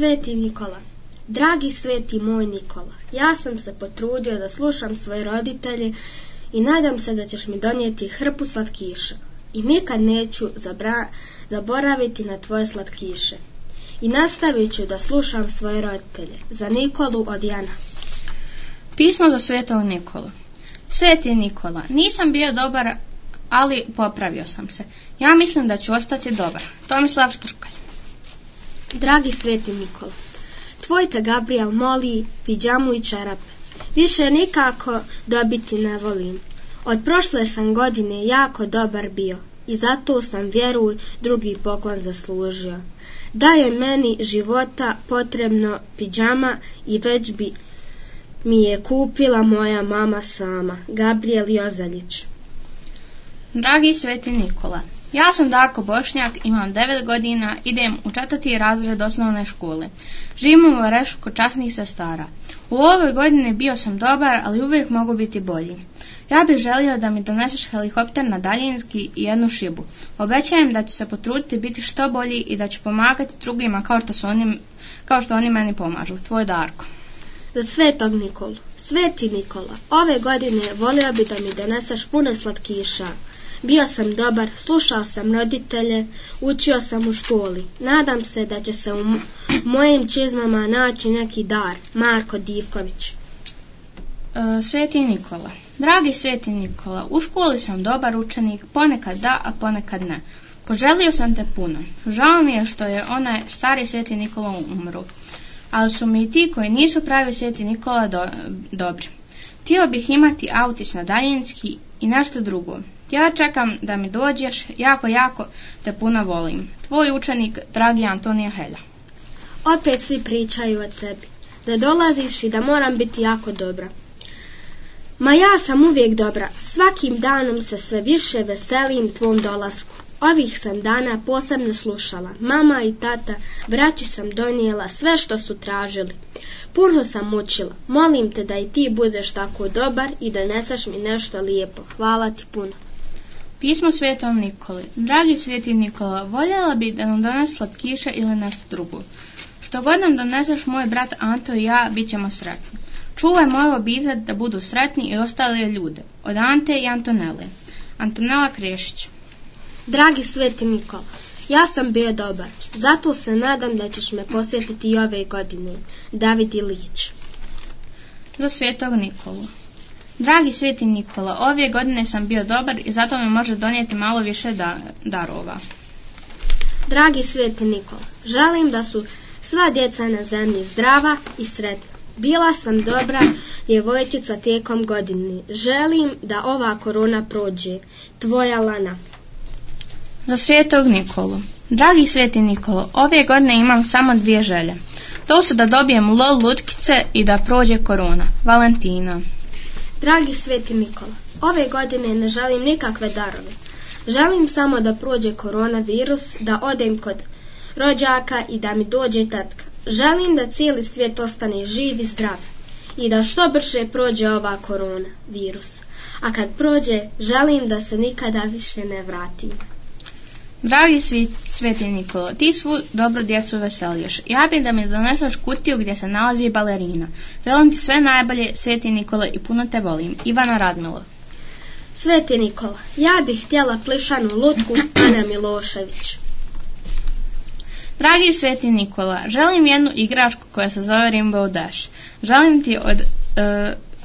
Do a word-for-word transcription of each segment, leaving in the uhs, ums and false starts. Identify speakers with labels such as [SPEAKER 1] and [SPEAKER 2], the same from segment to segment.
[SPEAKER 1] Sveti Nikola. Dragi sveti moj Nikola, ja sam se potrudio da slušam svoje roditelje i nadam se da ćeš mi donijeti hrpu slatkiša. I nikad neću zabra- zaboraviti na tvoje slatkiše. I nastavit ću da slušam svoje roditelje. Za Nikolu od Jana.
[SPEAKER 2] Pismo za svetog Nikolu. Sveti Nikola, nisam bio dobar, ali popravio sam se. Ja mislim da ću ostati dobar. Tomislav Štrkalj.
[SPEAKER 1] Dragi sveti Nikola, tvoj te Gabriel moli pidžamu i čarape. Više nikako dobiti ne volim. Od prošle sam godine jako dobar bio i zato sam, vjeruj, drugi poklon zaslužio. Da je meni života potrebno pidžama i već bi mi je kupila moja mama sama. Gabriel Jozaljić.
[SPEAKER 2] Dragi sveti Nikola, ja sam Darko Bošnjak, imam devet godina, idem u četvrti razred osnovne škole. Živim u Varešu kod časnih sestara. U ovoj godini bio sam dobar, ali uvijek mogu biti bolji. Ja bih želio da mi doneseš helikopter na daljinski i jednu šibu. Obećajem da ću se potruditi biti što bolji i da ću pomagati drugima kao što, su oni, kao što oni meni pomažu. Tvoj Darko.
[SPEAKER 1] Za svetog Nikolu. Sveti Nikola, ove godine volio bi da mi doneseš puno slatkiša. Bio sam dobar, slušao sam roditelje, učio sam u školi. Nadam se da će se u mojim čizmama naći neki dar. Marko Divković.
[SPEAKER 2] E, sveti Nikola. Dragi sveti Nikola, u školi sam dobar učenik, ponekad da, a ponekad ne. Poželio sam te puno. Žao mi je što je onaj stari sveti Nikola umro, ali su mi i ti koji nisu pravi sveti Nikola do, dobri. Htio bih imati autić na daljinski i nešto drugo. Ja čekam da mi dođeš, jako, jako te puno volim. Tvoj učenik, dragi Antonija Helja.
[SPEAKER 1] Opet svi pričaju o tebi, da dolaziš i da moram biti jako dobra. Ma ja sam uvijek dobra, svakim danom se sve više veselim tvom dolasku. Ovih sam dana posebno slušala. Mama i tata, braći sam donijela sve što su tražili. Puno sam učila. Molim te da i ti budeš tako dobar i doneseš mi nešto lijepo. Hvala ti puno.
[SPEAKER 2] Pismo svetom Nikoli. Dragi sveti Nikola, voljela bi da nam donese slatkiše ili nešto drugo. Što god nam doneseš, moj brat Anto i ja bit ćemo sretni. Čuvaj moju obitelj da budu sretni i ostale ljude. Od Ante i Antonele. Antonela Krešić.
[SPEAKER 1] Dragi sveti Nikola, ja sam bio dobar, zato se nadam da ćeš me posjetiti i ove godine. David Ilić.
[SPEAKER 2] Za svetog Nikolu. Dragi sveti Nikola, ove godine sam bio dobar i zato mi može donijeti malo više da, darova.
[SPEAKER 1] Dragi sveti Nikola, želim da su sva djeca na zemlji zdrava i sretna. Bila sam dobra djevojčica tijekom godine. Želim da ova korona prođe. Tvoja Lana.
[SPEAKER 2] Za svetog Nikolu. Dragi sveti Nikolo, ove godine imam samo dvije želje. To su da dobijem lol lutkice i da prođe korona. Valentina.
[SPEAKER 1] Dragi sveti Nikola, ove godine ne želim nikakve darove. Želim samo da prođe koronavirus, da odem kod rođaka i da mi dođe tatka. Želim da cijeli svijet ostane živ i zdrav i da što brže prođe ova koronavirus. A kad prođe, želim da se nikada više ne vratim.
[SPEAKER 2] Dragi sveti Nikola, ti svu dobro djecu veseliješ. Ja bih da mi doneseš kutiju gdje se nalazi balerina. Želim ti sve najbolje, sveti Nikola, i puno te volim. Ivana Radmilo.
[SPEAKER 1] Sveti Nikola, ja bih htjela plišanu lutku. Ana Milošević.
[SPEAKER 2] Dragi sveti Nikola, želim jednu igračku koja se zove Rainbow Dash. Želim ti od uh,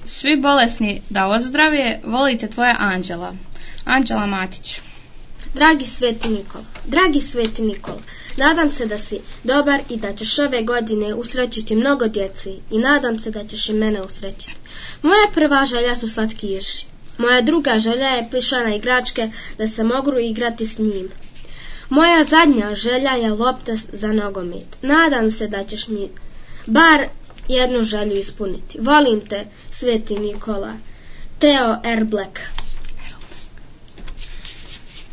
[SPEAKER 2] svi bolesni da ozdravije. Volite tvoja Anđela. Anđela Matić.
[SPEAKER 1] Dragi sveti Nikola, dragi sveti Nikola, nadam se da si dobar i da ćeš ove godine usrećiti mnogo djece i nadam se da ćeš i mene usrećiti. Moja prva želja su slatkiši. Moja druga želja je plišana igračke da se mogu igrati s njim. Moja zadnja želja je lopta za nogomet. Nadam se da ćeš mi bar jednu želju ispuniti. Volim te, sveti Nikola. Teo Erblek.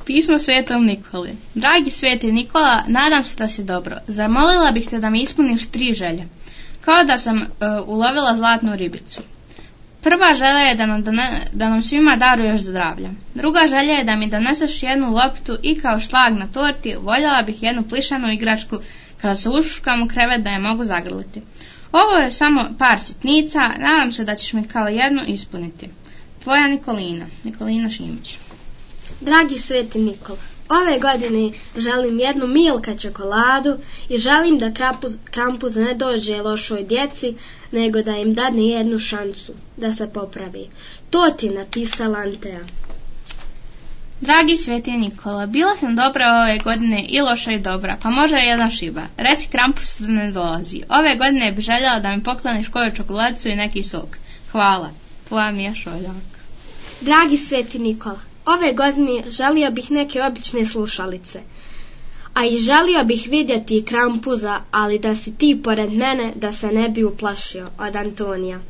[SPEAKER 2] Pismo svetom Nikoli. Dragi sveti Nikola, nadam se da si dobro. Zamolila bih te da mi ispuniš tri želje. Kao da sam uh, ulovila zlatnu ribicu. Prva želja je da nam, done, da nam svima daruješ zdravlja. Druga želja je da mi doneseš jednu loptu i kao šlag na torti voljela bih jednu plišanu igračku Kada se ušuškam u krevet da je mogu zagrliti. Ovo je samo par sitnica, nadam se da ćeš mi kao jednu ispuniti. Tvoja Nikolina, Nikolina Šimić.
[SPEAKER 1] Dragi Sveti Nikola, ove godine želim jednu Milka čokoladu i želim da Krampus, Krampus ne dođe lošoj djeci, nego da im dadne jednu šansu da se popravi. To ti napisala Antea.
[SPEAKER 2] Dragi Sveti Nikola, bila sam dobra ove godine i loša i dobra, pa može jedna šiba. Reci Krampusu da ne dolazi. Ove godine bi željela da mi pokloniš koju čokoladicu i neki sok. Hvala. Tvoja Mija Šoljak.
[SPEAKER 1] Dragi Sveti Nikola, ove godine želio bih neke obične slušalice. A i želio bih vidjeti Krampusa, ali da si ti pored mene da se ne bi uplašio. Od Antonija.